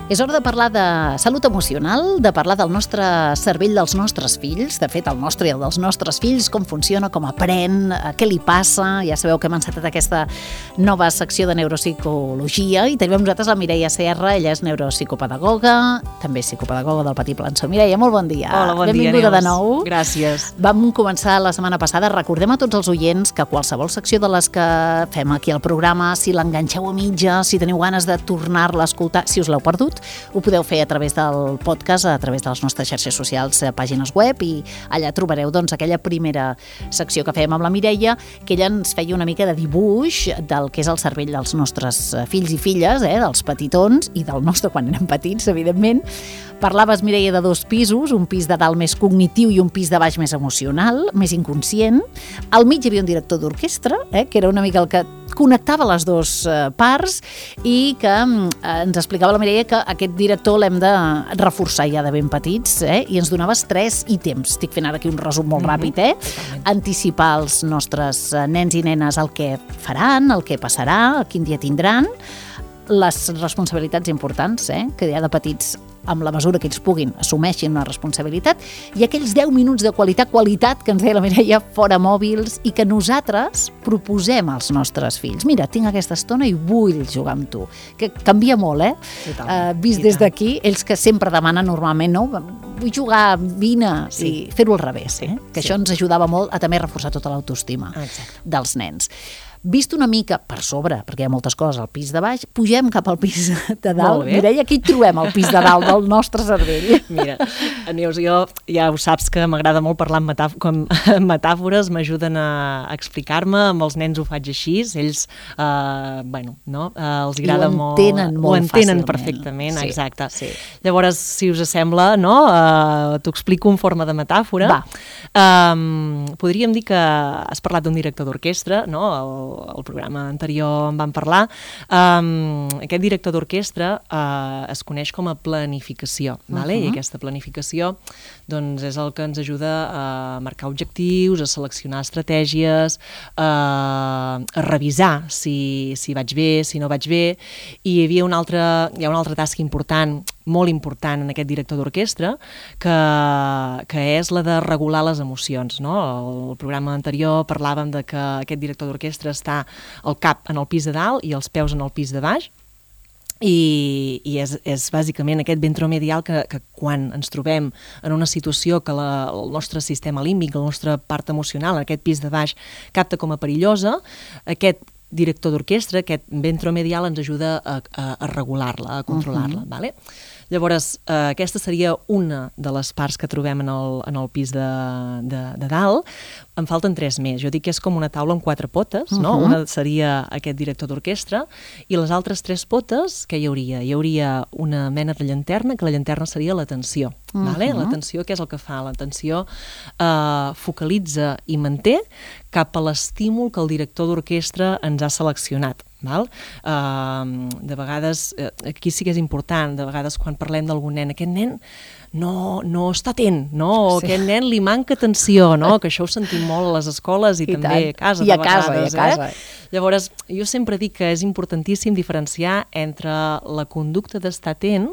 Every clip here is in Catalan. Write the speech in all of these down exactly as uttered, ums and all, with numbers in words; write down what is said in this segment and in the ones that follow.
És hora de parlar de salut emocional, de parlar del nostre cervell dels nostres fills, de fet el nostre i el dels nostres fills, com funciona, com aprèn, què li passa. Ja sabeu que hem encetat aquesta nova secció de neuropsicologia i tenim amb nosaltres la Mireia Serra, ella és neuropsicopedagoga, també psicopedagoga del Petit Plançó. Mireia, molt bon dia. Hola, bon Benvinguda dia, de nou. Gràcies. Vam començar la setmana passada, recordem a tots els oients que qualsevol secció de les que fem aquí al programa, si l'enganxeu a mitja, si teniu ganes de tornar-la a escoltar, si us l'heu perdut, ho podeu fer a través del podcast, a través de les nostres xarxes socials, pàgines web, i allà trobareu doncs, aquella primera secció que fèiem amb la Mireia, que ella ens feia una mica de dibuix del que és el cervell dels nostres fills i filles, eh, dels petitons, i del nostre quan érem petits, evidentment. Parlaves, Mireia, de dos pisos, un pis de dalt més cognitiu i un pis de baix més emocional, més inconscient. Al mig hi havia un director d'orquestra, eh, que era una mica el que connectava les dues parts i que eh, ens explicava la Mireia que aquest director l'hem de reforçar ja de ben petits, eh, i ens donaves tres ítems. Estic fent ara aquí un resum molt mm-hmm. ràpid, eh? Totalment. Anticipar als nostres nens i nenes el que faran, el que passarà, quin dia tindran, les responsabilitats importants, eh, que ja de petits, amb la mesura que ells puguin, assumeixin una responsabilitat, i aquells deu minuts de qualitat, qualitat, que ens deia la Mireia, fora mòbils, i que nosaltres proposem als nostres fills. Mira, tinc aquesta estona i vull jugar amb tu. Que canvia molt, eh? Uh, vist des d'aquí, ells que sempre demanen normalment, no? Vull jugar, vine, sí. I fer-ho al revés, eh? Que sí. Això ens ajudava molt a també reforçar tota l'autoestima dels nens. Vist una mica per sobre, perquè hi ha moltes coses al pis de baix, pugem cap al pis de dalt. Mireia, aquí hi trobem al pis de dalt del nostre cervell. Mira, Neus, jo ja ho saps que m'agrada molt parlar amb metàf- com metàfores, m'ajuden a explicar-me, amb els nens ho faig així, ells, eh, bueno, no, eh, els agrada molt... Ho entenen molt ho entenen fàcilment. Perfectament, sí, exacte. Sí. Llavors, si us sembla, no, eh, t'ho explico en forma de metàfora. Va. Um, podríem dir que has parlat d'un director d'orquestra, no?, el el programa anterior en vam parlar. Um, aquest director d'orquestra uh, es coneix com a planificació, vale? Uh-huh. I aquesta planificació doncs, és el que ens ajuda a marcar objectius, a seleccionar estratègies, uh, a revisar si, si vaig bé, si no vaig bé, i hi havia una altra, hi ha una altra tasca important, molt important en aquest director d'orquestra, que, que és la de regular les emocions, no? El programa anterior parlàvem de que aquest director d'orquestra està el cap en el pis de dalt i els peus en el pis de baix, i, i és, és bàsicament aquest ventromedial que, que quan ens trobem en una situació que la, el nostre sistema límbic, la nostra part emocional, aquest pis de baix, capta com a perillosa, aquest director d'orquestra, aquest ventromedial ens ajuda a, a, a regular-la, a controlar-la, uh-huh. Vale? Llavors, eh, aquesta seria una de les parts que trobem en el, en el pis de, de, de dalt. En falten tres més. Jo dic que és com una taula amb quatre potes, no? Uh-huh. Una seria aquest director d'orquestra, i les altres tres potes, què hi hauria? Hi hauria una mena de llanterna, que la llanterna seria l'atenció. Uh-huh. Vale? L'atenció, què és el que fa? L'atenció eh, focalitza i manté cap a l'estímul que el director d'orquestra ens ha seleccionat. Val? Uh, de vegades, uh, aquí sí que és important, de vegades quan parlem d'algun nen, aquest nen no, no està atent, no? O sí. Aquest nen li manca atenció, no? Que això ho sentim molt a les escoles i, I també tant. A casa, I a de casa, vegades. I a casa. Eh? Llavors, jo sempre dic que és importantíssim diferenciar entre la conducta d'estar atent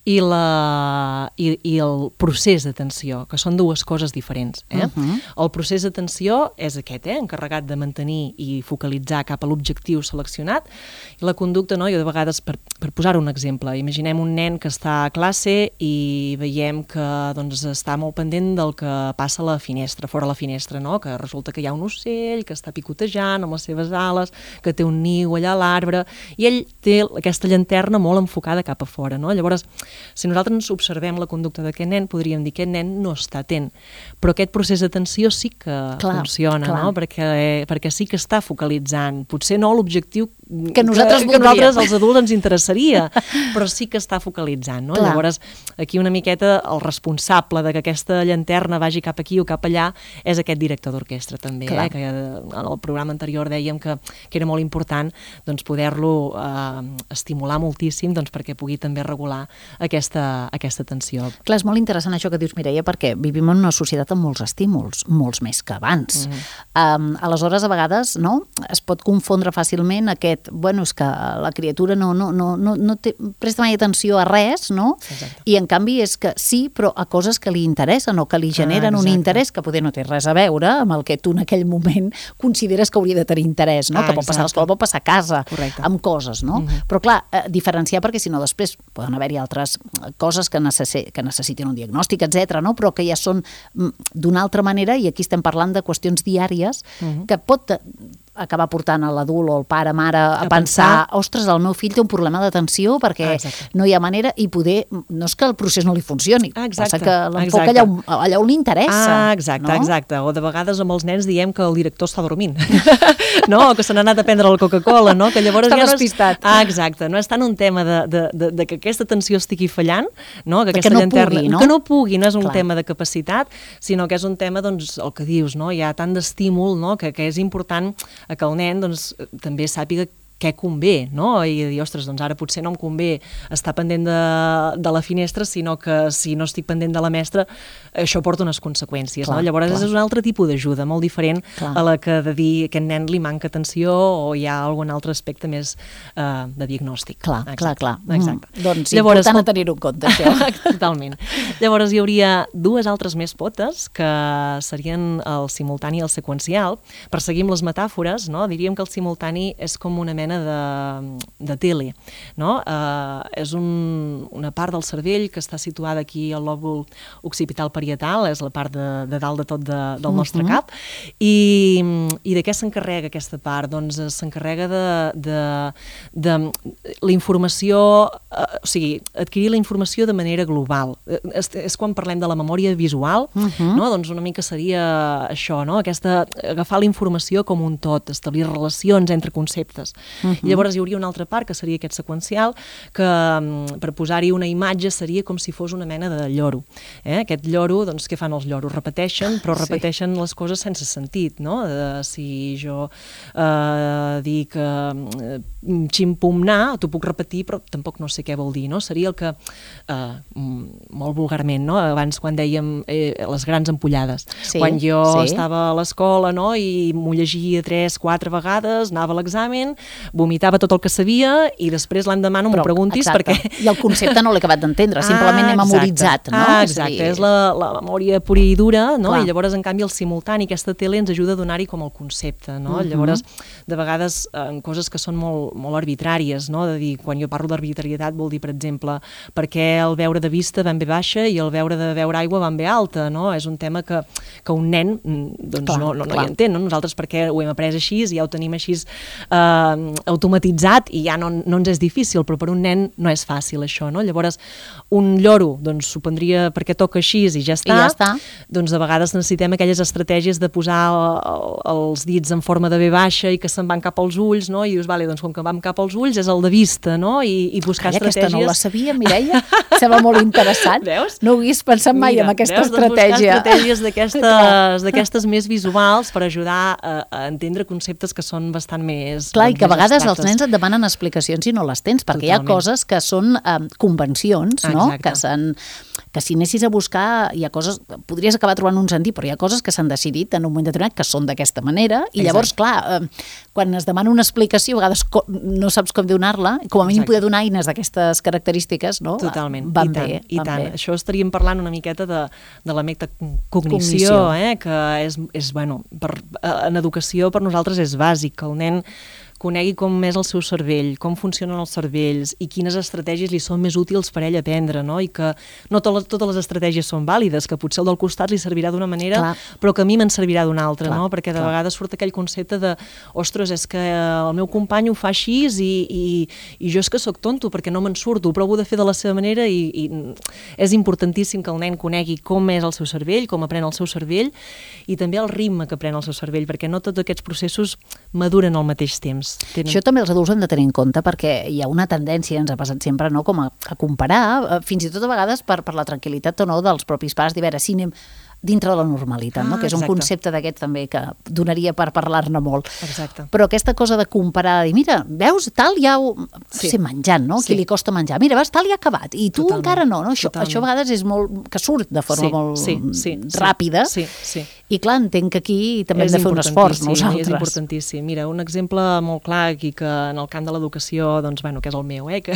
i, la, i, i el procés d'atenció, que són dues coses diferents. Eh? Uh-huh. El procés d'atenció és aquest, eh? Encarregat de mantenir i focalitzar cap a l'objectiu seleccionat, i la conducta, no? Jo de vegades, per, per posar un exemple, imaginem un nen que està a classe i veiem que doncs, està molt pendent del que passa a la finestra, fora la finestra, no? Que resulta que hi ha un ocell que està picotejant amb les seves ales, que té un niu allà a l'arbre, i ell té aquesta llanterna molt enfocada cap a fora, no? Llavors, si nosaltres ens observem la conducta d'aquest nen, podríem dir que aquest nen no està atent, però aquest procés d'atenció sí que clar, funciona, clar. No? Perquè, perquè sí que està focalitzant, potser no l'objectiu que nosaltres, que, que nosaltres els adults ens interessaria, però sí que està focalitzant, no? Llavors, aquí una miqueta el responsable de que aquesta llanterna vagi cap aquí o cap allà és aquest director d'orquestra també, eh? Que en el programa anterior dèiem que, que era molt important doncs, poder-lo eh, estimular moltíssim doncs, perquè pugui també regular aquesta, aquesta tensió. Clar, és molt interessant això que dius, Mireia, perquè vivim en una societat amb molts estímuls, molts més que abans. Mm-hmm. Um, aleshores, a vegades, no? Es pot confondre fàcilment aquest aquest, bueno, és que la criatura no, no, no, no, no té, presta mai atenció a res, no? Exacte. I en canvi és que sí, però a coses que li interessen o que li generen ah, un interès que poder no té res a veure amb el que tu en aquell moment consideres que hauria de tenir interès, no? Ah, que pot passar a l'escola, pot passar a casa, correcte, amb coses, no? Mm-hmm. Però clar, eh, diferenciar, perquè si no després poden haver-hi altres coses que, necessi que necessitin un diagnòstic, etcètera, no? Però que ja són d'una altra manera, i aquí estem parlant de qüestions diàries mm-hmm. que pot acabar portant a l'adult o el pare, mare, a, a pensar, pensar, ostres, el meu fill té un problema d'atenció perquè ah, no hi ha manera, i poder, no és que el procés no li funcioni, ah, passa que l'enfoca allà, allà on li interessa. Ah, exacte, no? exacte. O de vegades amb els nens diem que el director està dormint, no? O que se n'ha anat a prendre la Coca-Cola, no? Que llavors està ja despistat. No és... Ah, exacte. No és tant un tema de, de, de, de que aquesta atenció estigui fallant, no? Que, que no llanterna, pugui, no? Que no pugui, no és un Clar. tema de capacitat, sinó que és un tema, doncs, el que dius, no? Hi ha tant d'estímul, no? Que, que és important que el nen, doncs, també sàpiga què convé, no? I dir, ostres, doncs ara potser no em convé estar pendent de, de la finestra, sinó que si no estic pendent de la mestra, això porta unes conseqüències, clar, no? Llavors clar. És un altre tipus d'ajuda, molt diferent clar. A la que de dir que aquest nen li manca atenció o hi ha algun altre aspecte més uh, de diagnòstic. Clar, exacte. clar, clar. Exacte. Mm. Doncs llavors, important a tenir-ho en compte, això. Totalment. Llavors hi hauria dues altres més potes, que serien el simultani i el seqüencial. Per seguir amb les metàfores, no? Diríem que el simultani és com una mena de, de tele, no? Uh, és un, una part del cervell que està situada aquí al lòbul occipital parietal, és la part de, de dalt de tot de, del nostre uh-huh. cap, i, i de què s'encarrega aquesta part? Doncs s'encarrega de, de, de la informació, uh, o sigui, adquirir la informació de manera global. És, és quan parlem de la memòria visual, uh-huh. no? Doncs una mica seria això, no? Aquesta, agafar la informació com un tot, establir relacions entre conceptes. Uh-huh. I llavors hi hauria una altra part, que seria aquest seqüencial, que per posar-hi una imatge seria com si fos una mena de lloro. Eh? Aquest lloro, doncs què fan els lloros? Repeteixen, però repeteixen sí. les coses sense sentit, no? De, si jo eh, dic eh, ximpumnar, t'ho puc repetir, però tampoc no sé què vol dir, no? Seria el que, eh, molt vulgarment, no? Abans quan dèiem eh, les grans ampollades. Sí, quan jo sí. estava a l'escola, no? I m'ho llegia tres, quatre vegades, anava a l'examen, vomitava tot el que sabia i després l'endemà no m'ho preguntis exacte. Perquè... I el concepte no l'he acabat d'entendre, simplement ah, he memoritzat, no? Ah, exacte, és, dir... és la, la memòria pura i dura, no? Clar. I llavors, en canvi, el simultani, aquesta tele ens ajuda a donar-hi com el concepte, no? Uh-huh. Llavors, de vegades, en coses que són molt, molt arbitràries, no? De dir, quan jo parlo d'arbitrarietat vol dir, per exemple, per què el veure de vista va en ve baixa i el veure de veure aigua va en ve alta, no? És un tema que, que un nen doncs, clar, no, no, no hi entén, no? Nosaltres perquè ho hem après així i ja ho tenim així eh, automatitzat i ja no, no ens és difícil, però per un nen no és fàcil això, no? Llavors, un lloro, doncs s'ho prendria perquè toca així i ja està, I ja està. Doncs a vegades necessitem aquelles estratègies de posar el, els dits en forma de ve baixa i que se'n van cap als ulls, no? I dius, vale, doncs com que vam cap als ulls és el de vista, no? I, i buscar Calla, estratègies... Aquesta no la sabia, Mireia, sembla molt interessant. Veus? No ho hagués pensat mai Mira, en aquesta veus? estratègia. Doncs buscar estratègies d'aquestes més visuals per ajudar a, a entendre conceptes que són bastant més... Clar, doncs, i que a vegades abstractes. Els nens et demanen explicacions i no les tens, perquè Totalment. Hi ha coses que són eh, convencions, no? Que, que si anessis a buscar, hi ha coses, podries acabar trobant un sentit, però hi ha coses que s'han decidit en un moment determinat que són d'aquesta manera, i Exacte. Llavors, clar, eh, quan es demana una explicació, a vegades no saps com donar-la, com a mínim Exacte. Poder donar eines d'aquestes característiques, no? Totalment, van i tant, bé, i van tant. Bé. Això estaríem parlant una miqueta de, de la metacognició, eh? Que és, és bueno, per, en educació per nosaltres és bàsic, que el nen conegui com és el seu cervell, com funcionen els cervells i quines estratègies li són més útils per ell aprendre, no? I que no to totes les estratègies són vàlides, que potser el del costat li servirà d'una manera, clar. Però que a mi me'n servirà d'una altra, clar, no? Perquè de clar. Vegades surt aquell concepte de ostres, és que el meu company ho fa així i, i, i jo és que sóc tonto perquè no me'n surto, però ho he de fer de la seva manera i, i és importantíssim que el nen conegui com és el seu cervell, com aprèn el seu cervell i també el ritme que aprèn el seu cervell, perquè no tots aquests processos maduren al mateix temps. Tenen... Això també els adults hem de tenir en compte perquè hi ha una tendència, ens ha passat sempre, no, com a, a comparar, fins i tot a vegades per, per la tranquil·litat o no dels propis pares, dir, a veure, si anem dintre de la normalitat, ah, no? Que és un exacte. Concepte d'aquest també que donaria per parlar-ne molt. Exacte. Però aquesta cosa de comparar, dir, mira, veus, tal ja ho... Sí. Sí, menjant, no? Sí. Qui li costa menjar. Mira, veus, tal ja ha acabat, i tu Totalment. Encara no, no? Això, això a vegades és molt... que surt de forma sí, molt sí, sí, ràpida. Sí, sí. I clar, entenc que aquí també hem de fer un esforç nosaltres. És importantíssim. Mira, un exemple molt clar aquí que en el camp de l'educació, doncs, bueno, que és el meu, eh, que,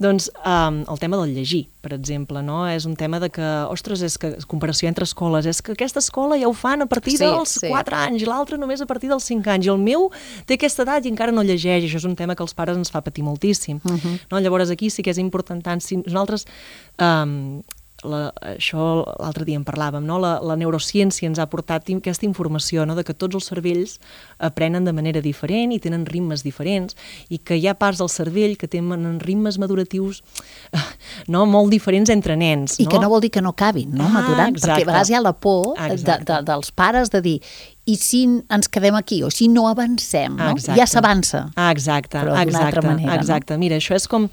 doncs, um, el tema del llegir, per exemple, no? És un tema de que, ostres, és que comparació entre escoles, és que aquesta escola ja ho fan a partir sí, dels sí. quatre anys, l'altra només a partir dels cinc anys, i el meu té aquesta edat i encara no llegeix, això és un tema que als pares ens fa patir moltíssim. Uh-huh. No? Llavors aquí sí que és important tant, si nosaltres... Um, La, això l'altre dia en parlàvem, no? la, la neurociència ens ha portat aquesta informació, no? De que tots els cervells aprenen de manera diferent i tenen ritmes diferents i que hi ha parts del cervell que tenen ritmes maduratius no? molt diferents entre nens. I no? que no vol dir que no acabin, no? Ah, madurant, exacte. Perquè a vegades hi ha la por de, de, dels pares de dir i si ens quedem aquí, o si no avancem, no? Ja s'avança. Ah, exacte, però d'una exacte, altra manera. Exacte. No? Mira, això és com...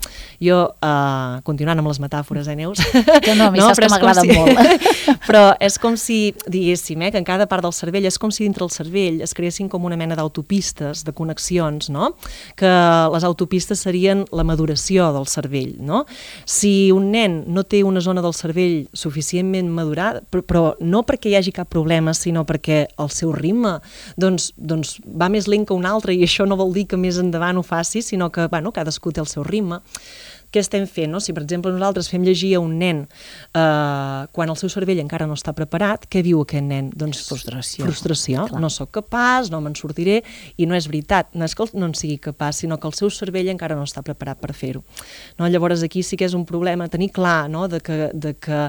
Jo, uh, continuant amb les metàfores, eh, Neus? Que no, a mi no, saps que m'agraden si... molt. Però és com si, diguéssim, eh, que en cada part del cervell, és com si dintre el cervell es creessin com una mena d'autopistes, de connexions, no? Que les autopistes serien la maduració del cervell, no? Si un nen no té una zona del cervell suficientment madurada, però, però no perquè hi hagi cap problema, sinó perquè el seu ritme doncs, doncs va més lent que un altre i això no vol dir que més endavant ho faci, sinó que bueno, cadascú té el seu ritme. Què estem fent? No? Si, per exemple, nosaltres fem llegir a un nen eh, quan el seu cervell encara no està preparat, què viu aquest nen? Doncs frustració. Frustració. Clar. No sóc capaç, no me'n sortiré, i no és veritat. No és que no en sigui capaç, sinó que el seu cervell encara no està preparat per fer-ho. No? Llavors, aquí sí que és un problema tenir clar, no? de, que, de, que,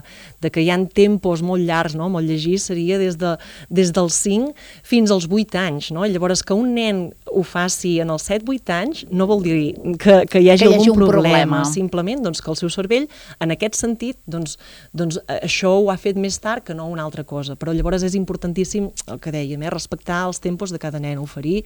de que hi ha tempos molt llargs, no? Molt llegir seria des, de, des dels cinc fins als vuit anys. No? Llavors, que un nen ho faci en els set vuit anys no vol dir que, que hi hagi que hi algun hagi un problema. problema. Simplement doncs, que el seu cervell, en aquest sentit, doncs, doncs, això ho ha fet més tard que no una altra cosa. Però llavors és importantíssim, el que dèiem, eh, respectar els tempos de cada nen, oferir,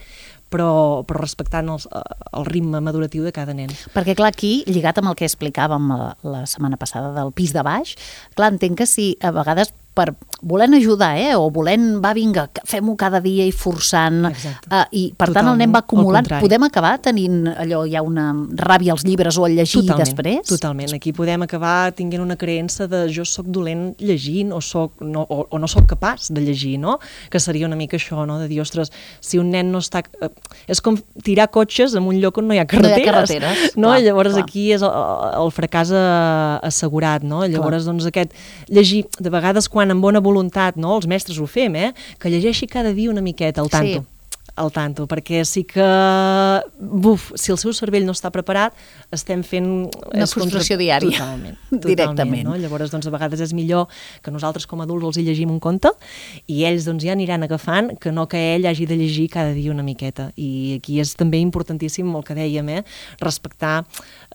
però, però respectant els, el ritme maduratiu de cada nen. Perquè, clar, aquí, lligat amb el que explicàvem la, la setmana passada del pis de baix, clar, entenc que si a vegades per volent ajudar, eh, o volent, va, vinga, fem-ho cada dia i forçant, uh, i per Totalment. Tant el nen va acumulant, podem acabar tenint allò, hi ha una ràbia als llibres o al llegir Totalment, després? Totalment, aquí podem acabar tinguent una creença de jo sóc dolent llegint o, soc, no, o, o no sóc capaç de llegir, no? Que seria una mica això, no? De dir, ostres, si un nen no està... Eh, és com tirar cotxes en un lloc on no hi ha carreteres. No hi ha carreteres, no? clar, Llavors clar. Aquí és el, el fracàs assegurat, no? Llavors, clar. Doncs aquest llegir, de vegades quan amb bona voluntat, no? Els mestres ho fem, eh? Que llegeixi cada dia una miqueta al tanto. Sí. Al tanto, perquè sí que buf, si el seu cervell no està preparat, estem fent... Una frustració contra... diària. Totalment. totalment Directament. No? Llavors, doncs, a vegades és millor que nosaltres com a adults els hi llegim un conte i ells doncs, ja aniran agafant que no que ell hagi de llegir cada dia una miqueta. I aquí és també importantíssim el que dèiem, eh? Respectar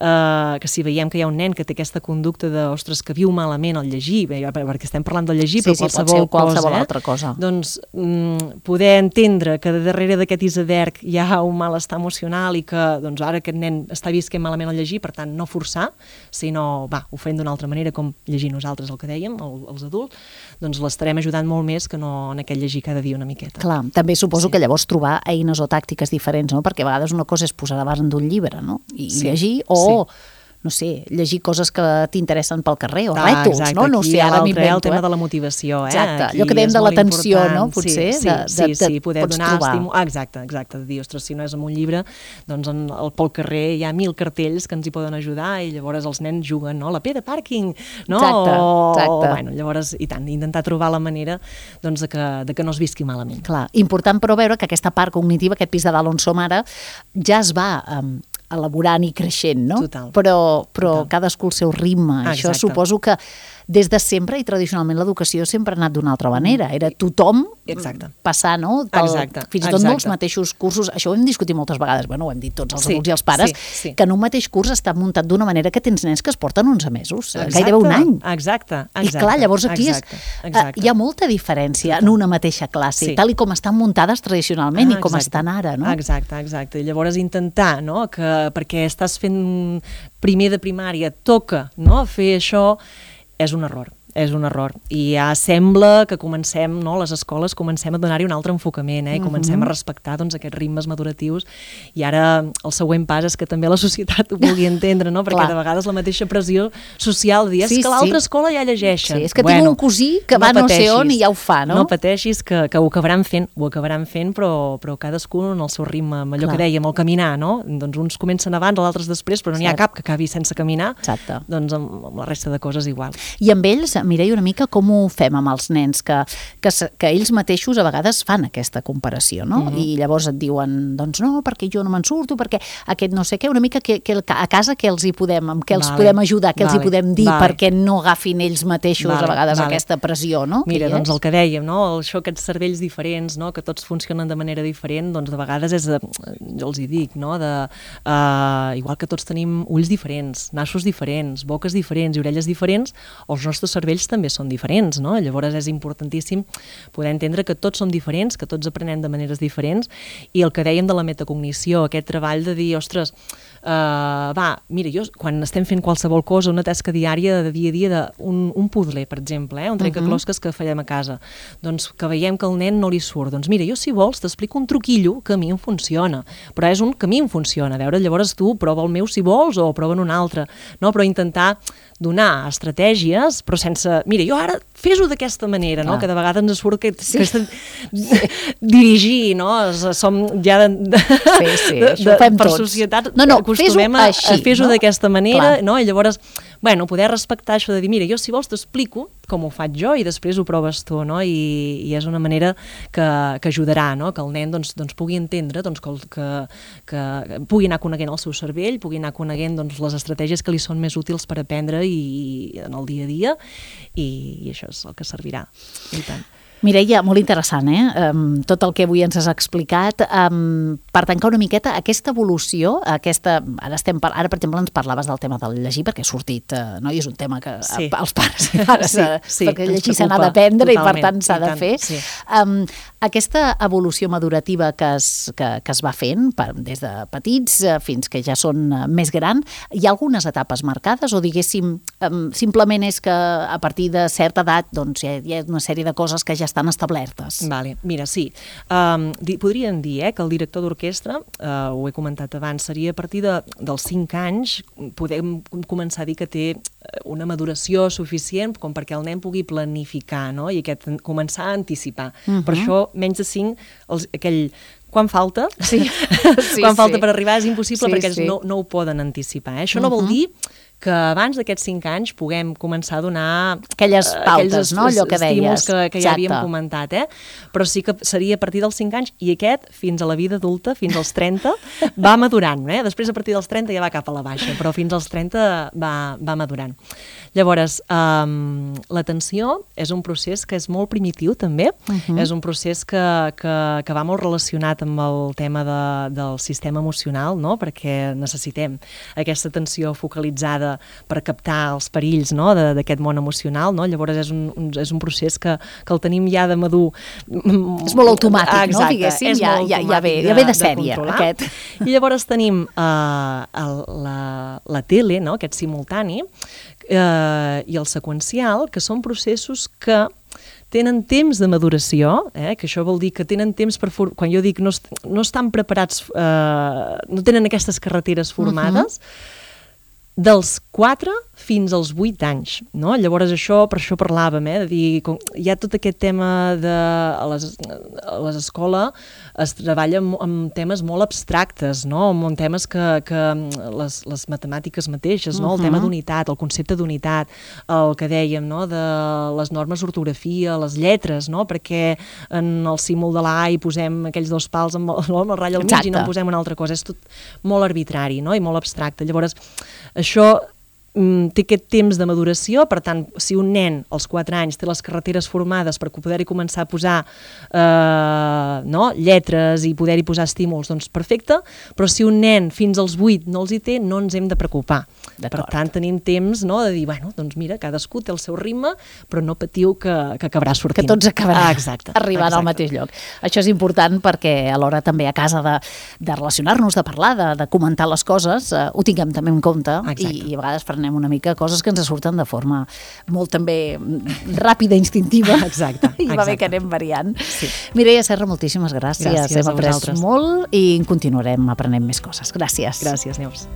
eh, que si veiem que hi ha un nen que té aquesta conducta de, ostres, que viu malament el llegir, bé, perquè estem parlant del llegir, sí, però sí, qualsevol, qualsevol cosa, altra cosa. Eh? Doncs mm, poder entendre que de darrere d'aquest iceberg hi ha un malestar emocional i que doncs, ara aquest nen està visquent malament al llegir, per tant, no forçar, sinó, va, ho fem d'una altra manera, com llegir nosaltres el que dèiem, el, els adults, doncs l'estarem ajudant molt més que no en aquest llegir cada dia una miqueta. Clar, també suposo sí. que llavors trobar eines o tàctiques diferents, no? Perquè a vegades una cosa és posar davant d'un llibre, no? I sí. llegir, o... Sí. no sé, llegir coses que t'interessen pel carrer, o ah, rètols, exacte. no? No sé, ara m'invento. El tema eh? de la motivació, eh? Exacte, aquí allò que dèiem de l'atenció, no? Potser, sí, sí, de, de, sí, sí, de, poder pots donar trobar. estímul. Ah, exacte, exacte, de dir, ostres, si no és amb un llibre, doncs en, el, pel carrer hi ha mil cartells que ens hi poden ajudar i llavors els nens juguen, no? La P de pàrquing, no? Exacte, exacte. O, bueno, llavors, i tant, intentar trobar la manera doncs, de, que, de que no es visqui malament. Clar, important però veure que aquesta part cognitiva, aquest pis de dalt on som ara, ja es va... Um, elaborant i creixent, no? Total. Però, però Total. cadascú el seu ritme. Ah, Això exacte. suposo que des de sempre i tradicionalment l'educació sempre ha anat d'una altra manera. Era tothom exacte. passar, no? Pel, exacte. Fins i tot exacte. no els mateixos cursos. Això ho hem discutit moltes vegades, bueno, ho hem dit tots els sí, adults i els pares, sí, sí. que en un mateix curs està muntat d'una manera que tens nens que es porten onze mesos, exacte. gairebé un any. Exacte. exacte. I clar, llavors aquí exacte. És, exacte. uh, hi ha molta diferència en una mateixa classe, sí. tal i com estan muntades tradicionalment ah, i com exacte. estan ara, no? Exacte, exacte. I llavors intentar, no?, que perquè estàs fent primer de primària, toca, no?, fer això, és un error. és un error. I ja sembla que comencem, no, les escoles comencem a donar-hi un altre enfocament, eh? I comencem uh-huh. a respectar doncs, aquests ritmes maduratius, i ara el següent pas és que també la societat ho vulgui entendre, no? Perquè Clar. de vegades la mateixa pressió social, dir, és sí, que l'altra sí. escola ja llegeixen. Sí, és que bueno, tinc un cosí que no va pateixis, no sé on i ja ho fa, no? No pateixis, que, que ho acabaran fent, ho acabaran fent, però, però cadascú en el seu ritme, amb allò Clar. que dèiem, el caminar, no? Doncs uns comencen abans, els altres després, però no n'hi ha cap que acabi sense caminar. Exacte. Doncs amb, amb la resta de coses igual. I amb ells, Mireia, una mica com ho fem amb els nens, que, que, que ells mateixos a vegades fan aquesta comparació, no? Mm-hmm. I llavors et diuen, doncs no, perquè jo no me'n surto, perquè aquest no sé què, una mica que, que a casa que els hi podem, amb què els vale. podem ajudar, què vale. els hi podem dir vale. perquè no agafin ells mateixos vale. a vegades vale. aquesta pressió, no? Mira, doncs el que dèiem, no? Això, aquests cervells diferents, no? Que tots funcionen de manera diferent, doncs de vegades és, de, jo els hi dic, no? De, uh, igual que tots tenim ulls diferents, nassos diferents, boques diferents i orelles diferents, els nostres cervells també són diferents, no? Llavors és importantíssim poder entendre que tots som diferents, que tots aprenem de maneres diferents, i el que dèiem de la metacognició, aquest treball de dir, ostres, uh, va, mira, jo quan estem fent qualsevol cosa, una tasca diària de dia a dia, d'un un puzzle, per exemple, eh? un trencaclosques que fallem a casa, doncs que veiem que el nen no li surt, doncs mira, jo si vols t'explico un truquillo que a mi em funciona, però és un que a mi em funciona, a veure, llavors tu prova el meu si vols o prova un altre, no? Però intentar donar estratègies, però sense... Mira, jo ara fes-ho d'aquesta manera, no? Que de vegades ens surt que, sí. que està dirigir, no? Som ja de, de, sí, sí, de, de, per tots. societat no, no, acostumem a, a fer-ho no? d'aquesta manera, Clar. no? I llavors, bueno, poder respectar això de dir, mira, jo si vols t'explico com ho faig jo i després ho proves tu, no? I, i és una manera que, que ajudarà, no? Que el nen doncs, doncs pugui entendre, doncs, que, que, que pugui anar coneguent el seu cervell, pugui anar coneguent doncs, les estratègies que li són més útils per aprendre i en el dia a dia, i, i això és el que servirà. I tant. Mireia, molt interessant, eh? Um, tot el que avui ens has explicat. Um, per tancar una miqueta, aquesta evolució, aquesta, ara, estem, ara per exemple ens parlaves del tema del llegir, perquè ha sortit, uh, no? I és un tema que sí. els pares i pares, sí, sí, perquè llegir se n'ha d'aprendre i per tant s'ha de fer. Sí. Um, aquesta evolució madurativa que es, que, que es va fent, per, des de petits uh, fins que ja són uh, més grans, hi ha algunes etapes marcades o diguéssim, um, simplement és que a partir de certa edat doncs, hi, ha, hi ha una sèrie de coses que ja estan establertes. Vale. Mira, sí. Um, di, podríem dir eh, que el director d'orquestra, uh, ho he comentat abans, seria a partir de, dels cinc anys, podem començar a dir que té una maduració suficient com perquè el nen pugui planificar, no? I aquest, començar a anticipar. Uh-huh. Per això, menys de cinc, els, aquell... Quan falta? Sí. sí quan falta sí. per arribar és impossible sí, perquè sí. no, no ho poden anticipar. Eh? Això uh-huh. no vol dir que abans d'aquests cinc anys puguem començar a donar aquelles pautes, aquells no? Allò que deies. que, que ja havíem comentat, eh? Però sí que seria a partir dels cinc anys i aquest, fins a la vida adulta, fins als trenta, va madurant, eh? Després a partir dels trenta ja va cap a la baixa, però fins als trenta va, va madurant. Llavors, um, l'atenció és un procés que és molt primitiu també, uh-huh. és un procés que, que, que va molt relacionat amb el tema de, del sistema emocional, no? Perquè necessitem aquesta atenció focalitzada per captar els perills no? d'aquest món emocional, no? Llavors és un, un, és un procés que, que el tenim ja de madur. És molt automàtic, ah, exacte, no? Diguéssim, ja, ja, ja, ve, ja ve de sèrie, de aquest. I llavors tenim uh, el, la, la tele, no? Aquest simultani, uh, i el seqüencial, que són processos que tenen temps de maduració, eh? Que això vol dir que tenen temps per... For... Quan jo dic no, est no estan preparats, uh, no tenen aquestes carreteres formades, uh-huh. dels quatre fins als vuit anys, no? Llavors això, per això parlàvem, eh? De dir, com, hi ha tot aquest tema de... A les, a les escoles es treballa amb, amb temes molt abstractes, no? Amb temes que, que les, les matemàtiques mateixes, no? Uh-huh. El tema d'unitat, el concepte d'unitat, el que dèiem, no? De les normes d'ortografia, les lletres, no? Perquè en el símbol de la A hi posem aquells dos pals amb el, amb el ratll al mig i no en posem una altra cosa. És tot molt arbitrari, no? I molt abstracte. Llavors, això té aquest temps de maduració, per tant, si un nen als quatre anys té les carreteres formades per poder-hi començar a posar eh, no? lletres i poder-hi posar estímuls, doncs perfecte, però si un nen fins als vuit no els hi té, no ens hem de preocupar. Per tant, tenim temps no? de dir, bueno, doncs mira, cadascú té el seu ritme, però no patiu que, que acabarà sortint. Que tots acabaran ah, exacte, arribant exacte. al mateix lloc. Això és important perquè alhora també a casa de, de relacionar-nos, de parlar, de, de comentar les coses, eh, ho tinguem també en compte i, i a vegades frenar aprenem una mica coses que ens surten de forma molt també ràpida, instintiva. Exacte. I va bé que anem variant. Sí. Mireia Serra, moltíssimes gràcies. Gràcies Hem a après vosaltres. molt i continuarem aprenent més coses. Gràcies. Gràcies, Neus.